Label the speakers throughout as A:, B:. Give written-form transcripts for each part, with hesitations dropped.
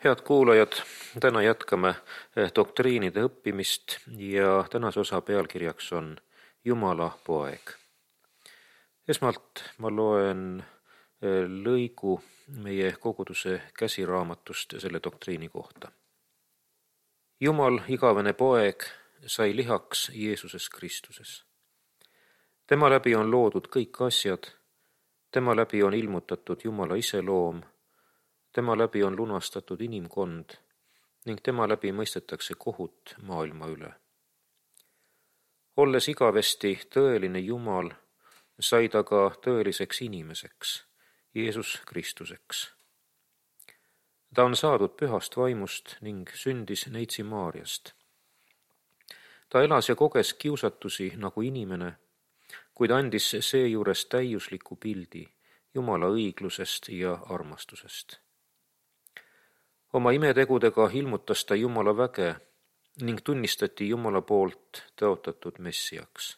A: Head kuulajad, täna jätkame doktriinide õppimist ja tänase osa pealkirjaks on Jumala poeg. Esmalt ma loen lõigu meie koguduse käsiraamatust selle doktriini kohta. Jumal, igavene poeg, sai lihaks Jeesuses Kristuses. Tema läbi on loodud kõik asjad, tema läbi on ilmutatud Jumala iseloom, tema läbi on lunastatud inimkond ning tema läbi mõistetakse kohut maailma üle. Olles igavesti tõeline Jumal, sai ta ka tõeliseks inimeseks, Jeesus Kristuseks. Ta on saadud pühast vaimust ning sündis neitsi Maarjast. Ta elas ja koges kiusatusi nagu inimene, kuid andis seejuures täiusliku pildi Jumala õiglusest ja armastusest. Oma imetegudega ilmutas ta Jumala väge ning tunnistati Jumala poolt tõotatud messiaks.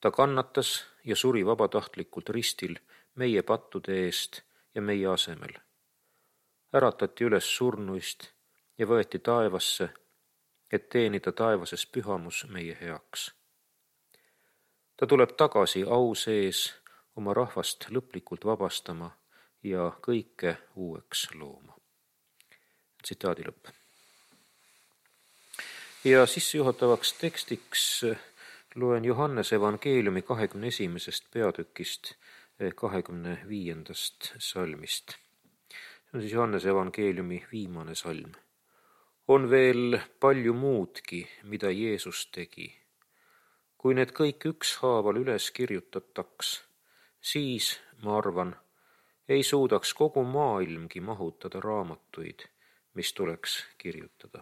A: Ta kannatas ja suri vabatahtlikult ristil meie pattude eest ja meie asemel. Äratati üles surnuist ja võeti taevasse, et teenida taevases pühamus meie heaks. Ta tuleb tagasi au sees oma rahvast lõplikult vabastama ja kõike uueks looma. Tsitaadi lõpp. Ja sissejuhatavaks tekstiks loen Johannese evangeeliumi 21. peatükist 25. salmist. See on siis Johannese evangeeliumi viimane salm. On veel palju muudki, mida Jeesus tegi. Kui need kõik ükshaaval üles kirjutataks, siis, ma arvan, ei suudaks kogu maailmgi mahutada raamatuid, mis tuleks kirjutada.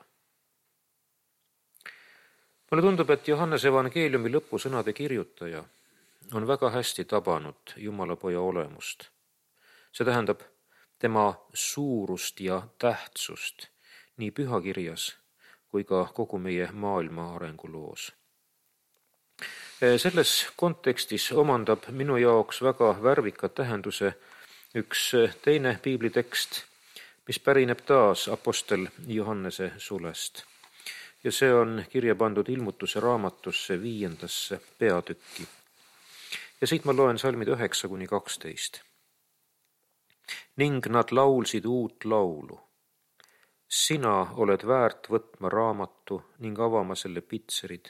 A: Mulle tundub, et Johannese evangeeliumi lõpusõnade kirjutaja on väga hästi tabanud Jumala poja olemust. See tähendab tema suurust ja tähtsust nii pühakirjas kui ka kogu meie maailma arenguloos. Selles kontekstis omandab minu jaoks väga värvika tähenduse üks teine piiblitekst, mis pärineb taas apostel Johannese sulest. Ja see on kirja pandud Ilmutuse raamatusse 5. peatükki. Ja siit ma loen salmid 9-12. Ning nad laulsid uut laulu. Sina oled väärt võtma raamatu ning avama selle pitserid,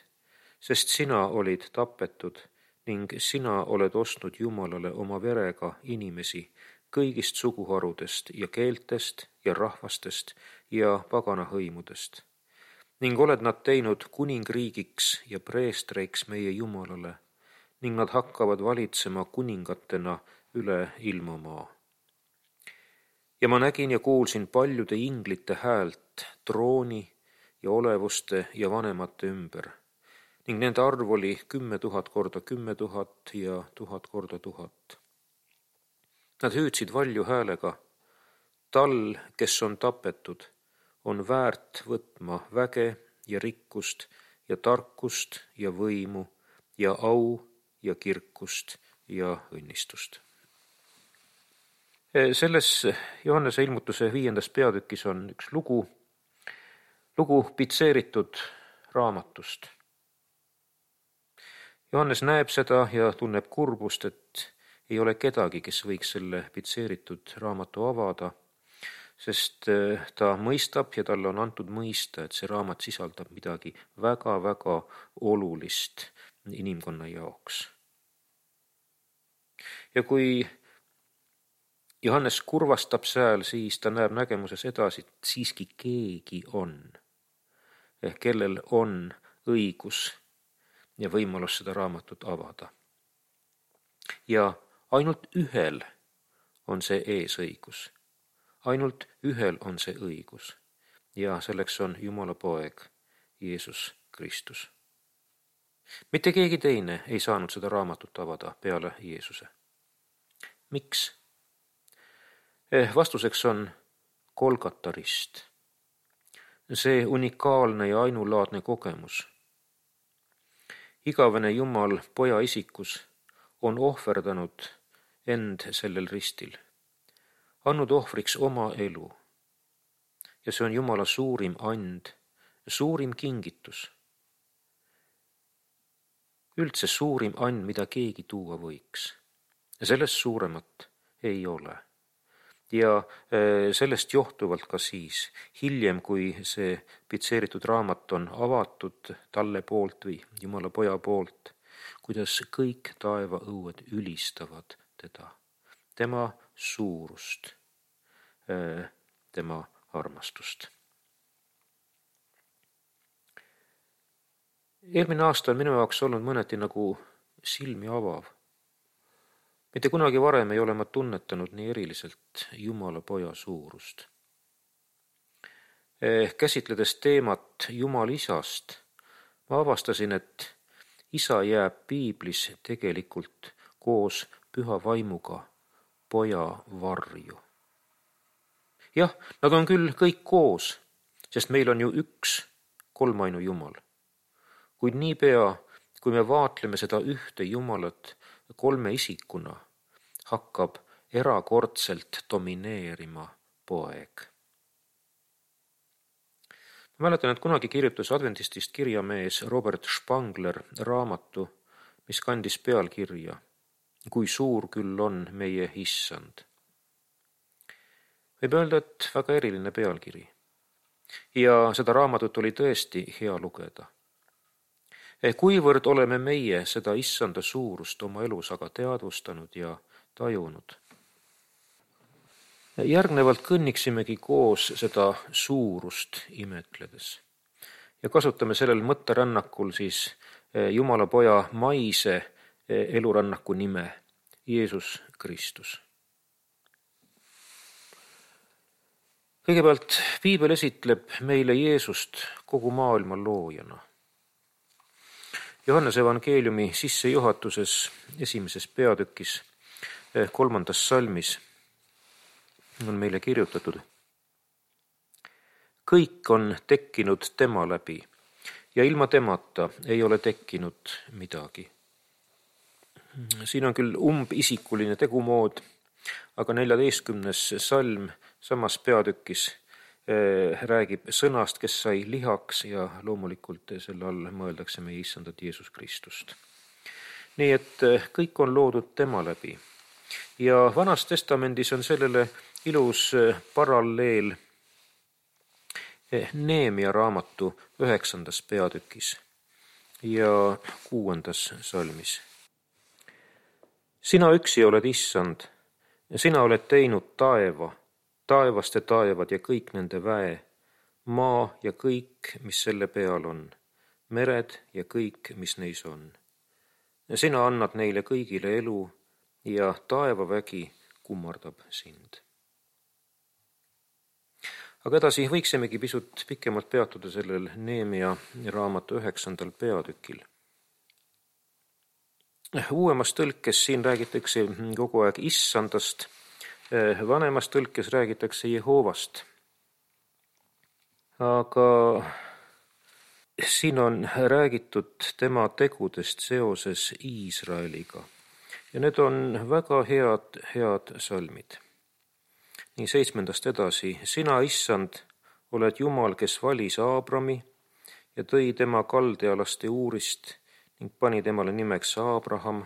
A: sest sina olid tapetud ning sina oled ostnud Jumalale oma verega inimesi kõigist suguharudest ja keeltest ja rahvastest ja paganahõimudest. Ning oled nad teinud kuningriigiks ja preestreiks meie Jumalale ning nad hakkavad valitsema kuningatena üle ilmamaa. Ja ma nägin ja kuulsin paljude inglite häält trooni ja olevuste ja vanemate ümber ning nende arv oli 10 000 korda 10 000 ja 1000 korda 1000. Nad hüüdsid valju häälega, tal, kes on tapetud, on väärt võtma väge ja rikkust ja tarkust ja võimu ja au ja kirkust ja õnnistust. Selles Johannese ilmutuse 5. peatükis on üks lugu pitseeritud raamatust. Johannes näeb seda ja tunneb kurbust, et ei ole kedagi, kes võiks selle pitseeritud raamatu avada, sest ta mõistab ja talle on antud mõista, et see raamat sisaldab midagi väga-väga olulist inimkonna jaoks. Ja kui Johannes kurvastab seal, siis ta näeb nägemuses edasi, et siiski keegi on, kellel on õigus ja võimalus seda raamatut avada. Ja ainult ühel on see eesõigus. Ainult ühel on see õigus. Ja selleks on Jumala poeg, Jeesus Kristus. Mitte keegi teine ei saanud seda raamatut avada peale Jeesuse. Miks? Vastuseks on Golgata rist. See unikaalne ja ainulaadne kogemus. Igavene Jumal poja isikus on ohverdanud end sellel ristil, andnud ohvriks oma elu, ja see on Jumala suurim and, suurim kingitus. Üldse suurim and, mida keegi tuua võiks. Ja sellest suuremat ei ole. Ja sellest johtuvalt ka siis, hiljem, kui see pitseeritud raamat on avatud talle poolt või Jumala poja poolt, kuidas kõik taevaõued ülistavad teda, tema suurust, tema armastust. Eelmine aasta on minu jaoks olnud mõneti nagu silmi avav. Mitte kunagi varem ei ole ma tunnetanud nii eriliselt Jumala poja suurust. Käsitledes teemat Jumal isast, ma avastasin, et isa jääb piiblis tegelikult koos püha vaimuga poja varju. Jah, nad on küll kõik koos, sest meil on ju üks kolmainu Jumal. Kuid niipea, kui me vaatleme seda ühte Jumalat kolme isikuna, hakkab erakordselt domineerima poeg. Ma mäletan, et kunagi kirjutas adventistist kirjamees Robert Spangler raamatu, mis kandis pealkirja Kui suur küll on meie issand. Võib öelda, et väga eriline pealkiri. Ja seda raamatut oli tõesti hea lugeda. Kuivõrd oleme meie seda issanda suurust oma elus aga teadvustanud ja tajunud. Järgnevalt kõnniksimegi koos seda suurust imetledes. Ja kasutame sellel mõtterännakul siis Jumala poja maise elurännaku nime, Jeesus Kristus. Kõigepealt piibel esitleb meile Jeesust kogu maailma loojana. Johannese evangeeliumi sissejuhatuses 1. peatükis 3. salmis on meile kirjutatud. Kõik on tekkinud tema läbi ja ilma temata ei ole tekkinud midagi. Siin on küll umbisikuline tegumood, aga 14. salm samas peatükis räägib sõnast, kes sai lihaks ja loomulikult selle all mõeldakse meie issandat Jeesus Kristust. Nii et kõik on loodud tema läbi. Ja Vanas Testamendis on sellele ilus paralleel Neemia raamatu 9. peatükis ja 6. salmis. Sina üksi oled issand ja sina oled teinud taeva, taevaste taevad ja kõik nende väe, maa ja kõik, mis selle peal on, mered ja kõik, mis neis on. Ja sina annad neile kõigile elu ja taevavägi kummardab sind. Aga edasi võiksimegi pisut pikemalt peatuda sellel Neemia raamatu 9. peatükil. Uuemas tõlkes siin räägitakse kogu aeg issandast, vanemas tõlkes räägitakse Jehovast. Aga siin on räägitud tema tegudest seoses Iisraeliga. Ja need on väga head salmid. Nii 7. edasi. Sina, issand, oled Jumal, kes valis Aabrami ja tõi tema kaldealaste Uurist ning pani temale nimeks Aabraham.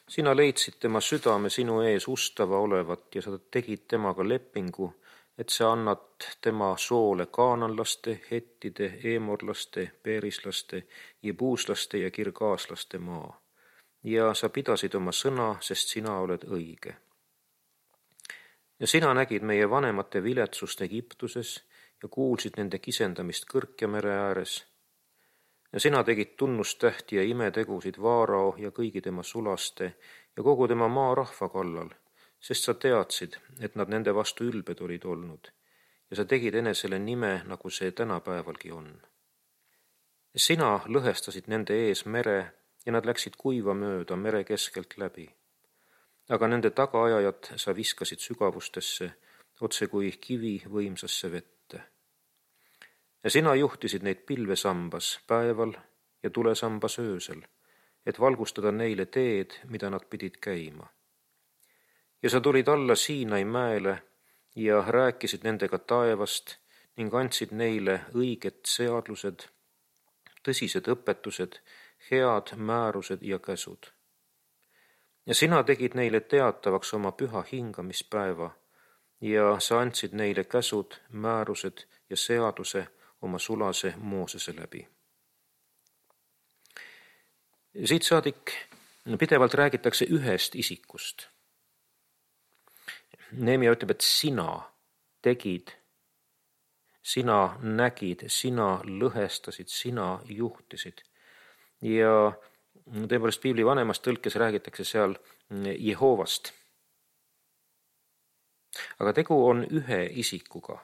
A: Sina leidsid tema südame sinu ees ustava olevat ja sa tegid temaga lepingu, et sa annad tema soole kaananlaste, hettide, eemorlaste, peerislaste, jebuuslaste ja kirgaaslaste maa. Ja sa pidasid oma sõna, sest sina oled õige. Ja sina nägid meie vanemate viletsust Egiptuses ja kuulsid nende kisendamist Kõrkja mere ääres. Ja sina tegid tunnustähti ja imetegusid Vaarao ja kõigi tema sulaste ja kogu tema maa rahva kallal, sest sa teadsid, et nad nende vastu ülbed olid olnud ja sa tegid enesele nime, nagu see tänapäevalgi on. Sina lõhestasid nende ees mere ja nad läksid kuiva mööda mere keskelt läbi. Aga nende tagaajajad sa viskasid sügavustesse, otse kui kivi võimsasse vette. Ja sina juhtisid neid pilvesambas päeval ja tulesambas öösel, et valgustada neile teed, mida nad pidid käima. Ja sa tulid alla Siinai mäele ja rääkisid nendega taevast ning andsid neile õiged seadused, tõsised õpetused, head määrused ja käsud. Ja sina tegid neile teatavaks oma püha hingamispäeva ja sa andsid neile käsud, määrused ja seaduse oma sulase Moosese läbi. Siit saadik pidevalt räägitakse ühest isikust. Neemia ütleb, et sina tegid, sina nägid, sina lõhestasid, sina juhtisid. Ja tõepoolest piibli vanemas tõlkes räägitakse seal Jehoovast. Aga tegu on ühe isikuga.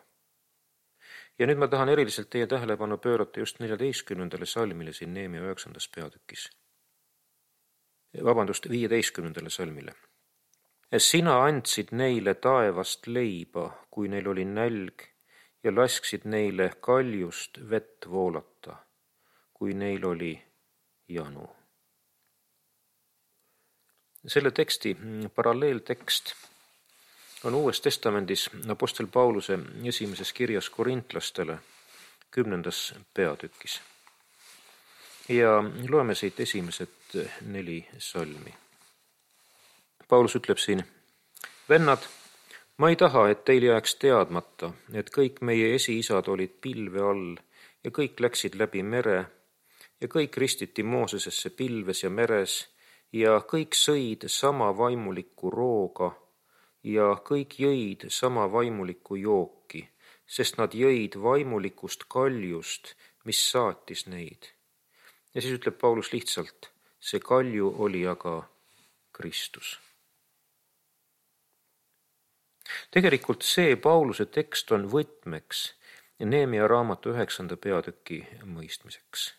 A: Ja nüüd ma tahan eriliselt teie tähelepanu pöörata just 14. salmile siin Neemia 9. peatükis. 15. salmile. Sina andsid neile taevast leiba, kui neil oli nälg, ja lasksid neile kaljust vett voolata, kui neil oli janu. Selle teksti paralleeltekst on Uues Testamendis apostel Pauluse esimeses kirjas korintlastele 10. peatükis. Ja loeme siit esimesed 4 salmi. Paulus ütleb siin, vennad, ma ei taha, et teil jääks teadmata, et kõik meie esiisad olid pilve all ja kõik läksid läbi mere ja kõik ristiti Moosesesse pilves ja meres ja kõik sõid sama vaimulikku rooga ja kõik jõid sama vaimulikku jooki, sest nad jõid vaimulikust kaljust, mis saatis neid. Ja siis ütleb Paulus lihtsalt, see kalju oli aga Kristus. Tegelikult see Pauluse tekst on võtmeks Neemia raamatu 9. peatüki mõistmiseks.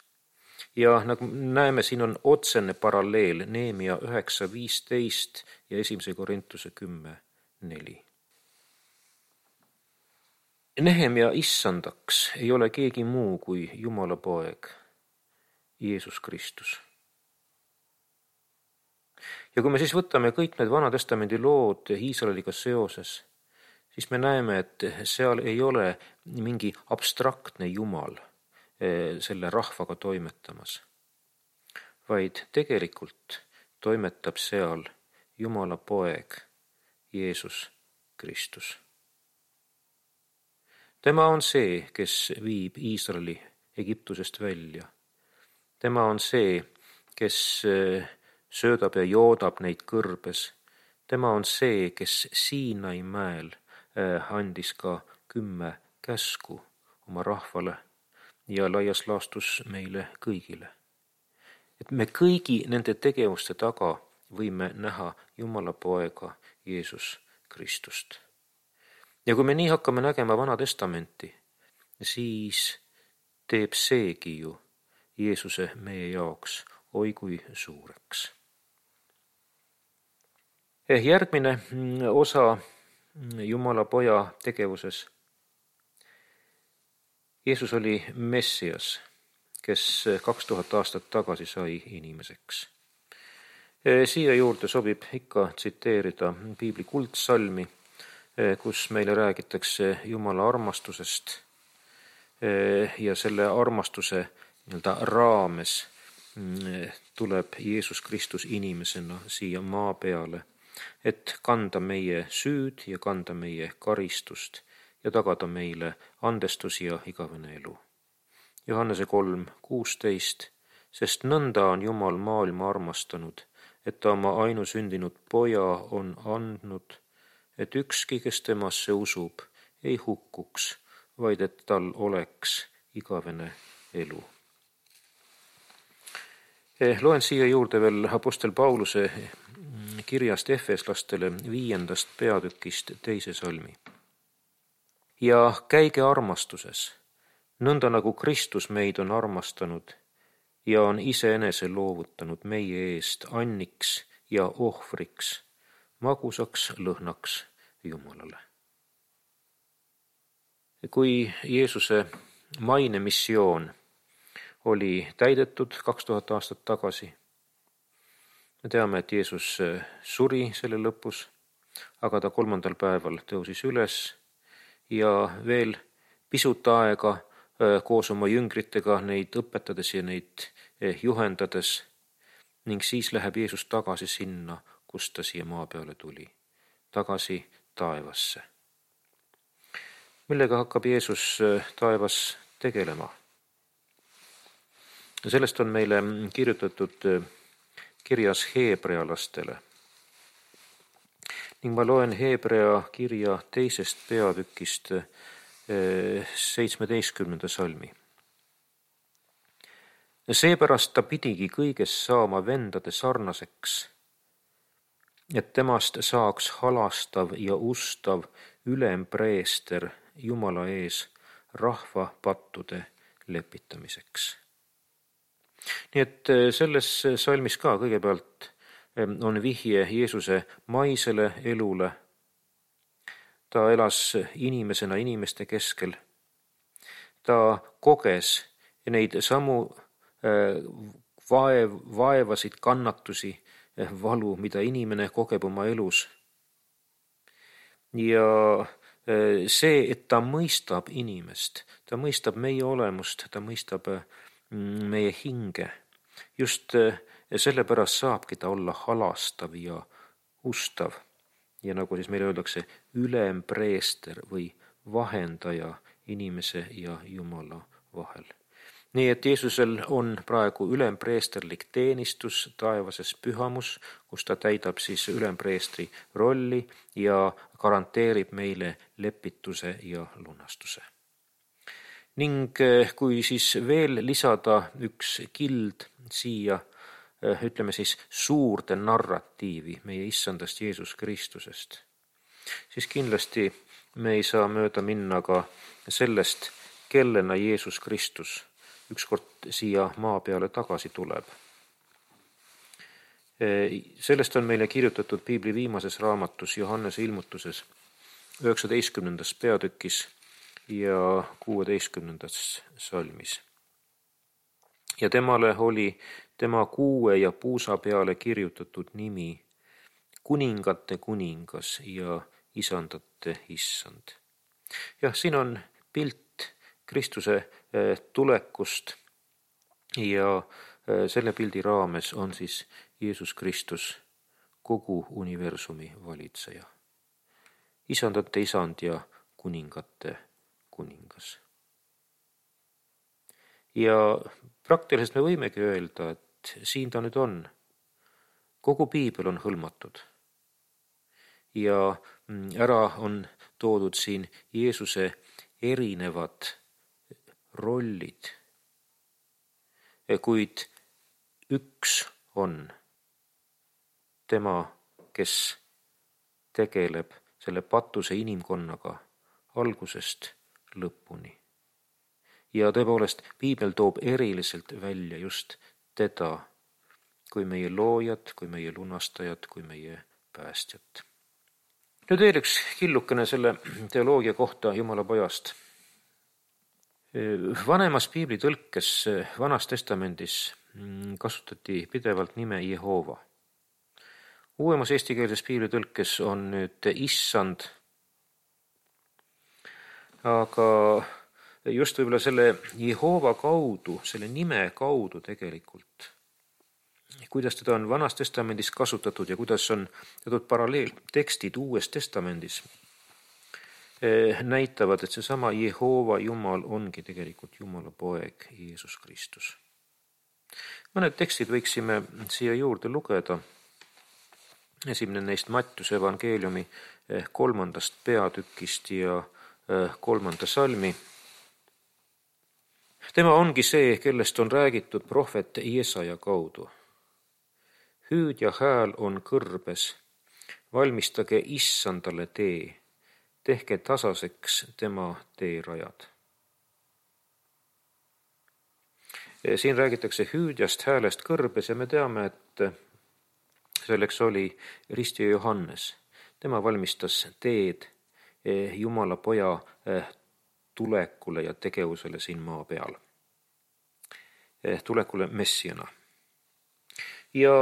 A: Ja nagu näeme, siin on otsene paralleel Neemia 9.15 ja 1. Korintuse 10.4. Nehemia issandaks ei ole keegi muu kui Jumala poeg, Jeesus Kristus. Ja kui me siis võtame kõik need Vana-testamendi lood Iisraeliga seoses, siis me näeme, et seal ei ole mingi abstraktne Jumal selle rahvaga toimetamas, vaid tegelikult toimetab seal Jumala poeg, Jeesus Kristus. Tema on see, kes viib Iisraeli Egiptusest välja. Tema on see, kes söödab ja joodab neid kõrbes. Tema on see, kes Siinai mäel andis ka 10 käsku oma rahvale ja laias laastus meile kõigile. Et me kõigi nende tegevuste taga võime näha Jumala poega Jeesus Kristust. Ja kui me nii hakkame nägema Vana-testamenti, siis teeb seegi ju Jeesuse meie jaoks oi kui suureks. Järgmine osa Jumala poja tegevuses. Jeesus oli Messias, kes 2000 aastat tagasi sai inimeseks. Siia juurde sobib ikka tsiteerida piibli kuldsalmi, kus meile räägitakse Jumala armastusest ja selle armastuse raames tuleb Jeesus Kristus inimesena siia maa peale, et kanda meie süüd ja kanda meie karistust ja tagada meile andestus ja igavene elu. Johannese 3.16, sest nõnda on Jumal maailma armastanud, et ta oma ainusündinud poja on andnud, et ükski, kes temasse usub, ei hukkuks, vaid et tal oleks igavene elu. Loen siia juurde veel apostel Pauluse kirjast Efeslastele 5. peatükist 2. salmi. Ja käige armastuses, nõnda nagu Kristus meid on armastanud ja on iseenese loovutanud meie eest anniks ja ohvriks, magusaks lõhnaks Jumalale. Kui Jeesuse maine missioon oli täidetud 2000 aastat tagasi, me teame, et Jeesus suri selle lõpus, aga ta 3. päeval tõusis üles ja veel pisut aega koos oma jüngritega neid õpetades ja neid juhendades ning siis läheb Jeesus tagasi sinna, kust ta siia maa peale tuli, tagasi taevasse. Millega hakkab Jeesus taevas tegelema? Sellest on meile kirjutatud kirjas heebrealastele. Ning ma loen Heebrea kirja 2. peatükist 17. salmi. Seepärast ta pidigi kõiges saama vendade sarnaseks, et temast saaks halastav ja ustav ülempreester Jumala ees rahva pattude lepitamiseks. Nii et selles salmis ka kõigepealt on vihje Jeesuse maisele elule. Ta elas inimesena inimeste keskel. Ta koges neid samu vaevasid, kannatusi, valu, mida inimene kogeb oma elus. Ja see, et ta mõistab inimest, ta mõistab meie olemust, ta mõistab meie hinge. Just sellepärast saabki ta olla halastav ja ustav. Ja nagu siis meile öeldakse, ülempreester või vahendaja inimese ja Jumala vahel. Nii et Jeesusel on praegu ülempreesterlik teenistus taevases pühamus, kus ta täidab siis ülempreestri rolli ja garanteerib meile lepituse ja lunastuse. Ning kui siis veel lisada üks kild siia, ütleme siis suurde narratiivi meie issandast Jeesus Kristusest, siis kindlasti me ei saa mööda minna ka sellest, kellena Jeesus Kristus ükskord siia maa peale tagasi tuleb. Sellest on meile kirjutatud Piibli viimases raamatus Johannese ilmutuses 19. peatükis ja 16. salmis. Ja temale oli tema kuue ja puusa peale kirjutatud nimi kuningate kuningas ja isandate issand. Jah, siin on pilt Kristuse tulekust ja selle pildi raames on siis Jeesus Kristus kogu universumi valitseja. Isandate isand ja kuningate kuningas. Ja praktiliselt me võimegi öelda, et siin ta nüüd on. Kogu piibel on hõlmatud. Ja ära on toodud siin Jeesuse erinevad rollid, kuid üks on tema, kes tegeleb selle patuse inimkonnaga algusest lõpuni. Ja tõepoolest, piibel toob eriliselt välja just teda kui meie loojat, kui meie lunastajat, kui meie päästjat. Nüüd veel üks killukene selle teoloogia kohta Jumala pojast. Vanemas piibli tõlkes Vanas testamendis kasutati pidevalt nime Jehova. Uuemas eestikeelses piibli tõlkes on nüüd issand, aga just võib-olla selle Jehova kaudu, selle nime kaudu tegelikult, kuidas teda on Vanas testamendis kasutatud ja kuidas on teatud paralleeltekstid Uues testamendis, näitavad, et seesama Jehova Jumal ongi tegelikult Jumala poeg Jeesus Kristus. Mõned tekstid võiksime siia juurde lugeda. Esimene neist Mattiuse evangeeliumi 3. peatükist ja 3. salmi. Tema ongi see, kellest on räägitud prohvet Jesaja kaudu. Hüüdja hääl on kõrbes, valmistage issandale tee. Tehke tasaseks tema teerajad. Siin räägitakse hüüdjast häälest kõrbes ja me teame, et selleks oli ristija Johannes. Tema valmistas teed Jumala poja tulekule ja tegevusele siin maa peal. Tulekule messiana. Ja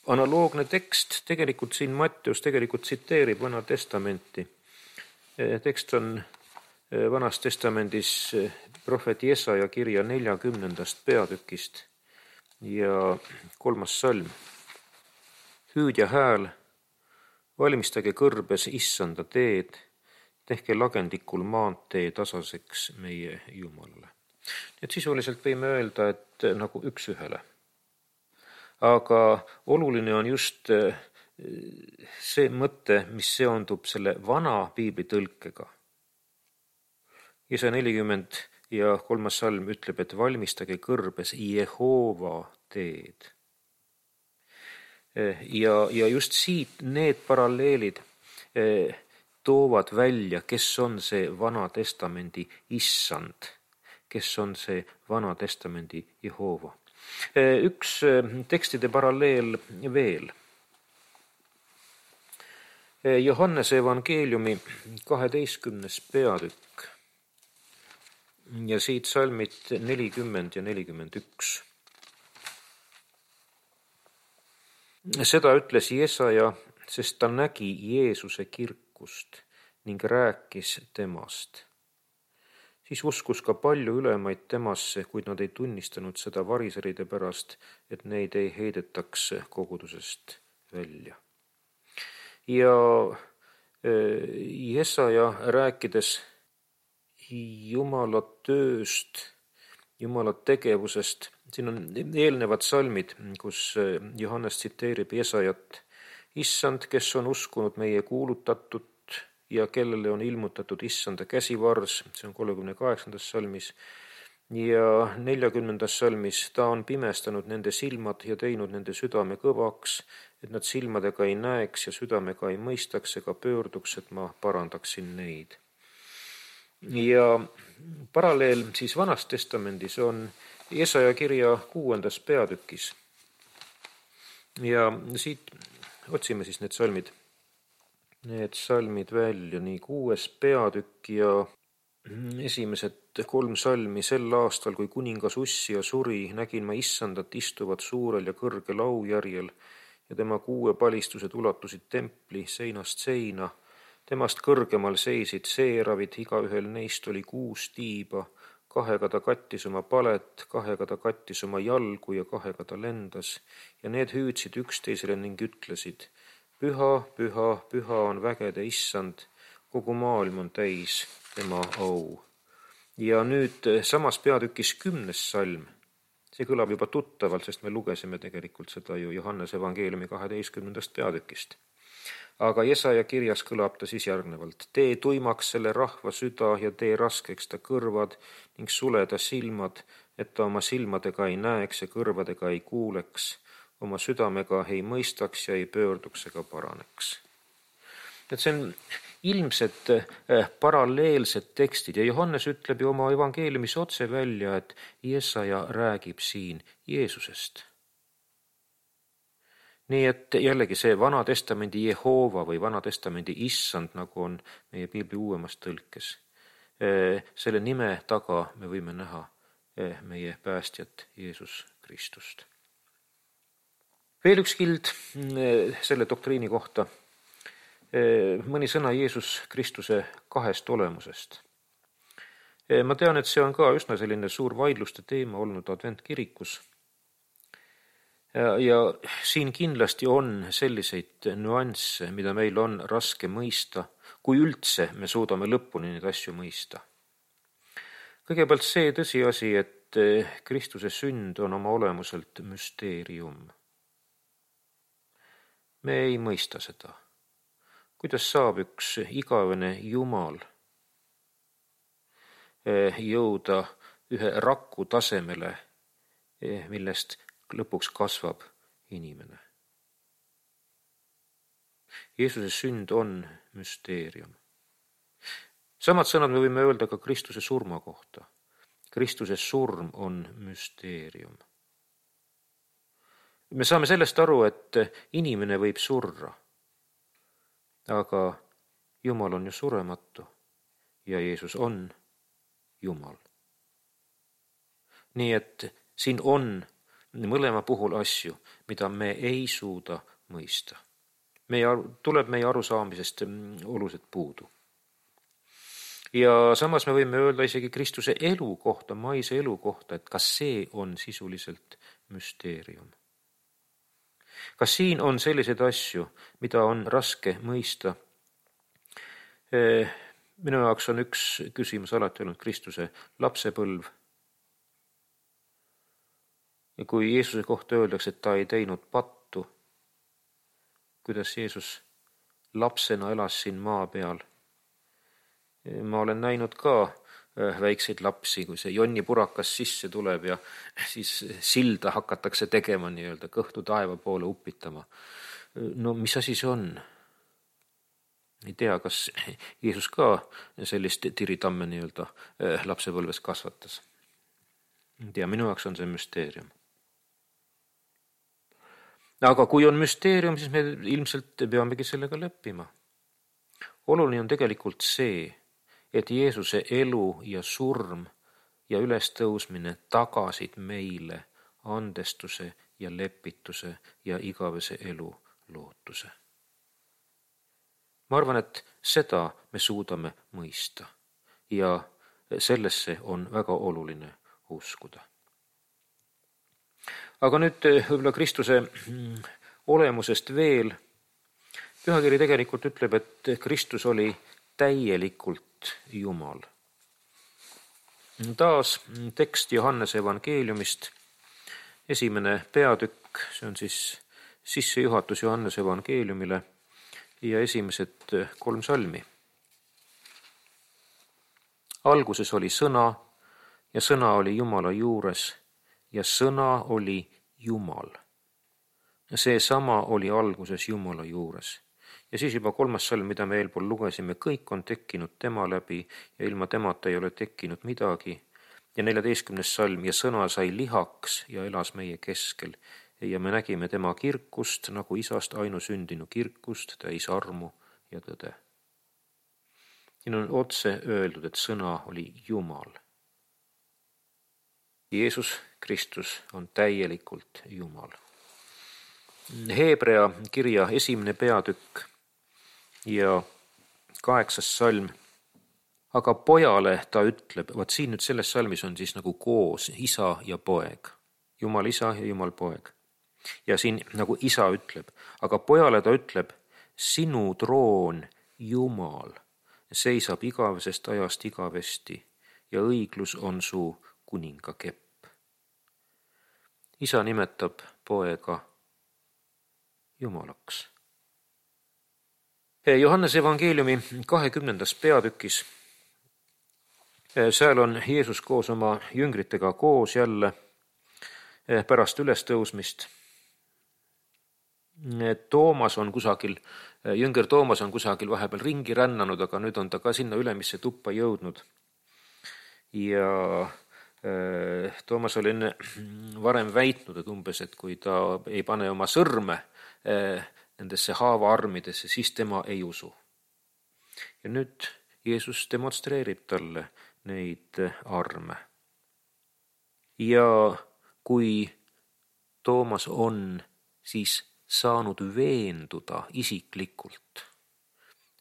A: analoogne tekst tegelikult siin Matteus tegelikult tsiteerib Vana testamenti, Tekst on Vanas Testamendis prohvet Jesaja kirja 40. peatükist ja 3. salm. Hüüdja hääl, valmistage kõrbes issanda teed, tehke lagendikul maantee tasaseks meie Jumalale. Et sisuliselt võime öelda, et nagu üks ühele. Aga oluline on just see mõte, mis seondub selle vana piiblitõlkega. Jesaja 40 ja 3. salm ütleb, et valmistage kõrbes Jehova teed. Ja just siit need paralleelid toovad välja, kes on see Vana Testamendi issand, kes on see Vana Testamendi Jehova. Üks tekstide paralleel veel. Johannese evangeeliumi 12. peatükk ja siit salmid 40 ja 41. Seda ütles Jesaja, sest ta nägi Jeesuse kirkust ning rääkis temast. Siis uskus ka palju ülemaid temasse, kuid nad ei tunnistanud seda variseride pärast, et neid ei heidetaks kogudusest välja. Ja Jesaja rääkides Jumala tööst, Jumala tegevusest, siin on eelnevad salmid, kus Johannes tsiteerib Jesajat. Issand, kes on uskunud meie kuulutatud ja kellele on ilmutatud issanda käsivars, see on 38. salmis, ja 40. salmis ta on pimestanud nende silmad ja teinud nende südame kõvaks, et nad silmadega ei näeks ja südamega ei mõistaks ega pöörduks, et ma parandaksin neid. Ja paralleel siis Vanas Testamendis on Jesaja kirja 6. peatükis. Ja siit otsime siis need salmid välja, nii 6. peatükk ja esimesed 3 salmi. Sel aastal, kui kuningas Ussia suri, nägin ma issandat istuvat suurel ja kõrgel aujärjel ja tema 6 palistused ulatusid templi seinast seina. Temast kõrgemal seisid seeravid, igaühel neist oli 6 tiiba, 2 ta kattis oma palet, 2 ta kattis oma jalgu ja 2 ta lendas ja need hüüdsid üksteisele ning ütlesid: Püha, püha, püha on vägede issand, kogu maailm on täis tema au. Ja nüüd samas peatükis 10. salm. See kõlab juba tuttavalt, sest me lugesime tegelikult seda ju Johannese evangeeliumi 12. peatükist. Aga Jesaja kirjas kõlab ta siis järgnevalt: tee tuimaks selle rahva süda ja tee raskeks ta kõrvad ning sule ta silmad, et ta oma silmadega ei näeks ja kõrvadega ei kuuleks, oma südamega ei mõistaks ja ei pöörduks ega paraneks. Et see on ilmselt paralleelsed tekstid ja Johannes ütleb ju oma evangeeliumis otse välja, et Jesaja räägib siin Jeesusest. Nii et jällegi see Vana Testamendi Jehova või Vana Testamendi issand, nagu on meie piibli uuemas tõlkes. Selle nime taga me võime näha meie päästjat Jeesus Kristust. Veel üks kild selle doktriini kohta. Mõni sõna Jeesus Kristuse 2 olemusest. Ma tean, et see on ka üsna selline suur vaidluste teema olnud adventkirikus. Ja siin kindlasti on selliseid nüansse, mida meil on raske mõista, kui üldse me suudame lõpuni neid asju mõista. Kõigepealt see tõsiasi, et Kristuse sünd on oma olemuselt müsteerium. Me ei mõista seda. Kuidas saab üks igavene Jumal jõuda ühe raku tasemele, millest lõpuks kasvab inimene? Jeesuse sünd on müsteerium. Samad sõnad me võime öelda ka Kristuse surma kohta. Kristuse surm on müsteerium. Me saame sellest aru, et inimene võib surra, aga Jumal on ju surematu ja Jeesus on Jumal. Nii et siin on mõlema puhul asju, mida me ei suuda mõista. Tuleb meie arusaamisest oluliselt puudu. Ja samas me võime öelda isegi Kristuse elu kohta, maise elu kohta, et kas see on sisuliselt müsteerium. Kas siin on selliseid asju, mida on raske mõista? Minu jaoks on üks küsimus alati olnud Kristuse lapsepõlv. Ja kui Jeesuse kohta öeldakse, et ta ei teinud pattu, kuidas Jeesus lapsena elas siin maa peal. Ma olen näinud ka väikseid lapsi, kui see Jonni purakas sisse tuleb ja siis silda hakatakse tegema nii-öelda kõhtu taeva poole upitama. No mis asi see on? Ei tea, kas Jeesus ka sellist tiritamme nii-öelda lapsepõlves kasvatas. Ei tea, minu jaoks on see müsteerium. Aga kui on müsteerium, siis me ilmselt peamegi sellega leppima. Oluline on tegelikult see, et Jeesuse elu ja surm ja ülestõusmine tagasid meile andestuse ja lepituse ja igavese elu lootuse. Ma arvan, et seda me suudame mõista ja sellesse on väga oluline uskuda. Aga nüüd võib-olla Kristuse olemusest veel. Pühakiri tegelikult ütleb, et Kristus oli täielikult Jumal. Taas tekst Johannese evangeeliumist, 1. peatükk, see on siis sissejuhatus Johannese evangeeliumile ja esimesed 3 salmi. Alguses oli sõna ja sõna oli Jumala juures ja sõna oli Jumal. See sama oli alguses Jumala juures. Ja siis juba 3. salm, mida me eelpool lugesime, kõik on tekkinud tema läbi ja ilma temata ei ole tekkinud midagi. Ja 14. salm, ja sõna sai lihaks ja elas meie keskel. Ja me nägime tema kirkust, nagu isast ainusündinu kirkust, täis armu ja tõde. Siin on otse öeldud, et sõna oli Jumal. Jeesus Kristus on täielikult Jumal. Heebrea kirja 1. peatükk ja 8. salm. Aga pojale ta ütleb, vaat siin nüüd selles salmis on siis nagu koos isa ja poeg. Jumal isa ja Jumal poeg. Ja siin nagu isa ütleb, aga pojale ta ütleb, sinu troon, Jumal, seisab igavesest ajast igavesti ja õiglus on su kuningakepp. Isa nimetab poega Jumalaks. Johannese evangeeliumi 20. peatükis. Seal on Jeesus koos oma jüngritega koos jälle pärast ülestõusmist. Toomas on kusagil, jünger Toomas on kusagil vahepeal ringi rännanud, aga nüüd on ta ka sinna ülemisse tuppa jõudnud. Ja Toomas oli enne varem väitnud, et umbes, et kui ta ei pane oma sõrme nendesse haavaarmidesse, siis tema ei usu. Ja nüüd Jeesus demonstreerib talle neid arme. Ja kui Toomas on siis saanud veenduda isiklikult,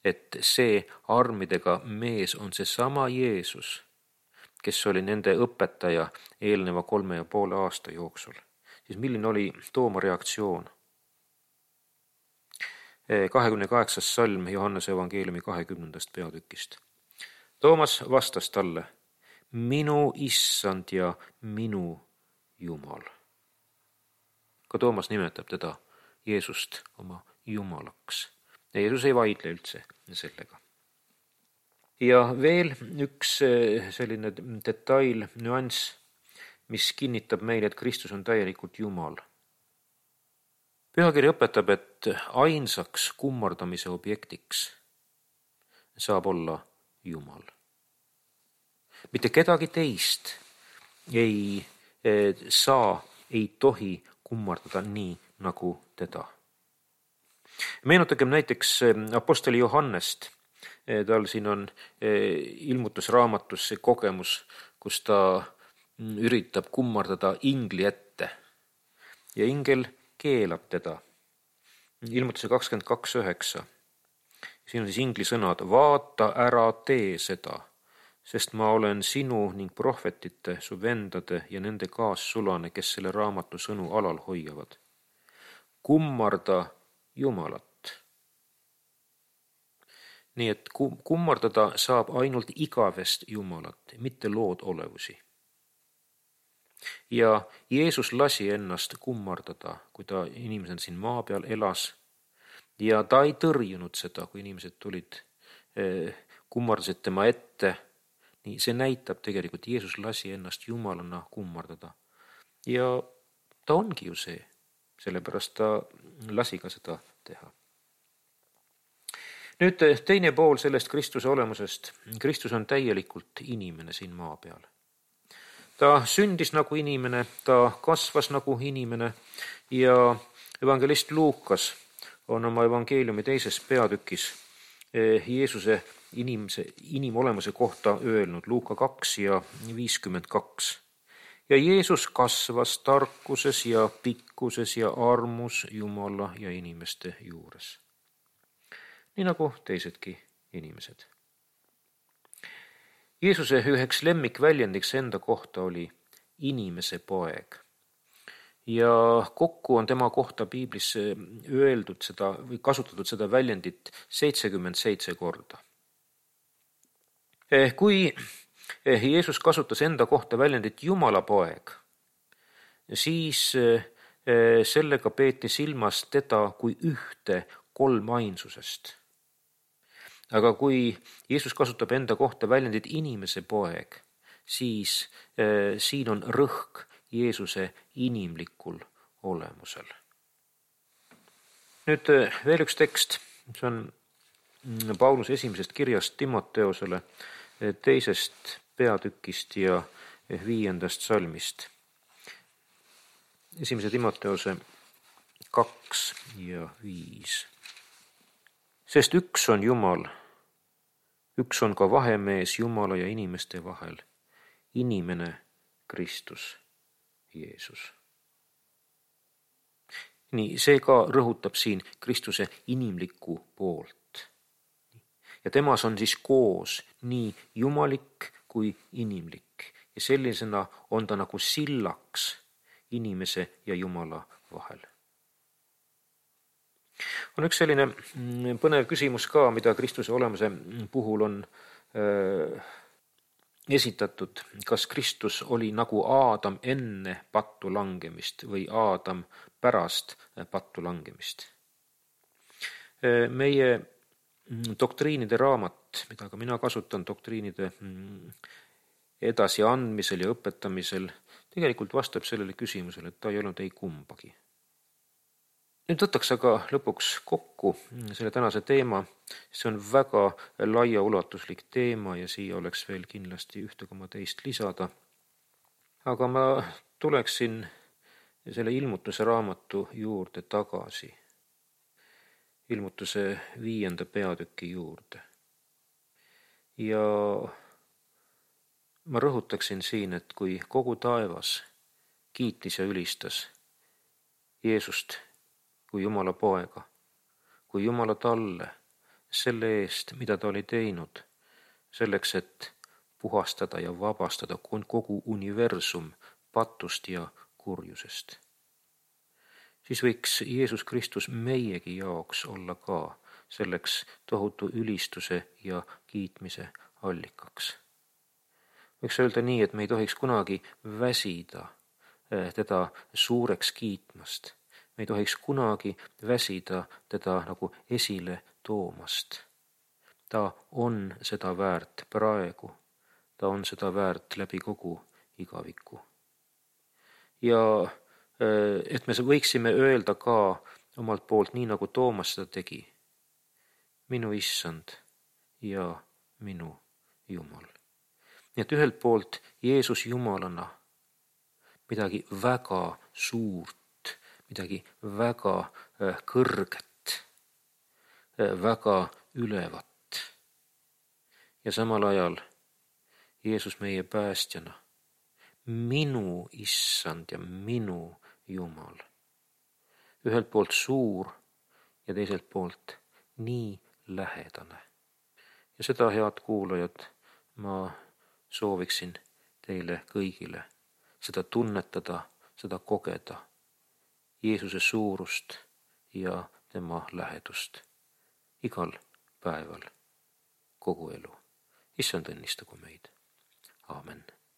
A: et see armidega mees on see sama Jeesus, kes oli nende õpetaja eelneva 3,5 aasta jooksul, siis milline oli Tooma reaktsioon? 28. salm Johannese evangeeliumi 20. peatükist. Toomas vastas talle, minu issand ja minu Jumal. Ka Toomas nimetab teda Jeesust oma Jumalaks. Ja Jeesus ei vaidle üldse sellega. Ja veel üks selline detail, nüanss, mis kinnitab meile, et Kristus on täielikult Jumal. Pühakiri õpetab, et ainsaks kummardamise objektiks saab olla Jumal. Mitte kedagi teist ei tohi kummardada nii nagu teda. Meenutagem näiteks apostoli Johannest. Tal siin on ilmutusraamatus see kogemus, kus ta üritab kummardada ingli ette. Ja ingel keelab teda. Ilmutuse 22.9. Siin on siis ingli sõnad, vaata ära tee seda. sest ma olen sinu ning prohvetite, su vendade ja nende kaassulane, kes selle raamatu sõnu alal hoiavad. Kummarda Jumalat. Nii et kummardada saab ainult igavest Jumalat, mitte lood olevusi. Ja Jeesus lasi ennast kummardada, kui ta inimesed siin maa peal elas, ja ta ei tõrjunud seda, kui inimesed tulid, kummardasid tema ette. Nii see näitab tegelikult, Jeesus lasi ennast Jumalana kummardada. Ja ta ongi ju see, sellepärast ta lasi ka seda teha. Nüüd teine pool sellest Kristuse olemusest. Kristus on täielikult inimene siin maa peal. Ta sündis nagu inimene, ta kasvas nagu inimene ja evangelist Luukas on oma evangeeliumi 2. peatükis Jeesuse inimolemuse kohta öelnud, Luuka 2 ja 52. Ja Jeesus kasvas tarkuses ja pikkuses ja armus Jumala ja inimeste juures. Nii nagu teisedki inimesed. Jeesuse üheks lemmikväljendiks enda kohta oli inimese poeg. Ja kokku on tema kohta piiblis öeldud seda või kasutatud seda väljendit 77 korda. Kui Jeesus kasutas enda kohta väljendit Jumala poeg, siis sellega peeti silmas teda kui ühte kolmainsusest. Aga kui Jeesus kasutab enda kohta väljendit inimese poeg, siis siin on rõhk Jeesuse inimlikul olemusel. Nüüd veel üks tekst, see on Pauluse esimesest kirjast Timoteosele 2. peatükist ja 5. salmist. 1. Timoteose 2 ja 5. Sest üks on Jumal, üks on ka vahemees Jumala ja inimeste vahel, inimene Kristus Jeesus. Nii, see ka rõhutab siin Kristuse inimlikku poolt. Ja temas on siis koos nii jumalik kui inimlik. Ja sellisena on ta nagu sillaks inimese ja Jumala vahel. On üks selline põnev küsimus ka, mida Kristuse olemuse puhul on esitatud. Kas Kristus oli nagu Aadam enne pattu langemist või Aadam pärast pattu langemist? Meie doktriinide raamat, mida ka mina kasutan doktriinide edasiandmisel ja õpetamisel, tegelikult vastab sellele küsimusele, et ta ei olnud ei kumbagi. Nüüd võtaks aga lõpuks kokku selle tänase teema. See on väga laiaulatuslik teema ja siia oleks veel kindlasti ühte koma teist lisada. Aga ma tuleksin selle ilmutuse raamatu juurde tagasi. Ilmutuse 5. peatüki juurde. Ja ma rõhutaksin siin, et kui kogu taevas kiitis ja ülistas Jeesust kui Jumala poega, kui Jumala talle selle eest, mida ta oli teinud, selleks, et puhastada ja vabastada kogu universum patust ja kurjusest. Siis võiks Jeesus Kristus meiegi jaoks olla ka selleks tohutu ülistuse ja kiitmise allikaks. Võiks öelda nii, et me ei tohiks kunagi väsida teda suureks kiitmast. Me ei tohiks kunagi väsida teda nagu esile toomast. Ta on seda väärt praegu. Ta on seda väärt läbi kogu igaviku. Ja et me võiksime öelda ka omalt poolt, nii nagu Toomas seda tegi, minu issand ja minu Jumal. Nii et ühelt poolt Jeesus Jumalana midagi väga suurt, midagi väga kõrget, väga ülevat. Ja samal ajal Jeesus meie päästjana, minu issand ja minu Jumal. Ühelt poolt suur ja teiselt poolt nii lähedane. Ja seda, head kuulajad, ma sooviksin teile kõigile seda tunnetada, seda kogeda, Jeesuse suurust ja tema lähedust igal päeval, kogu elu. Issand õnnistagu meid. Aamen.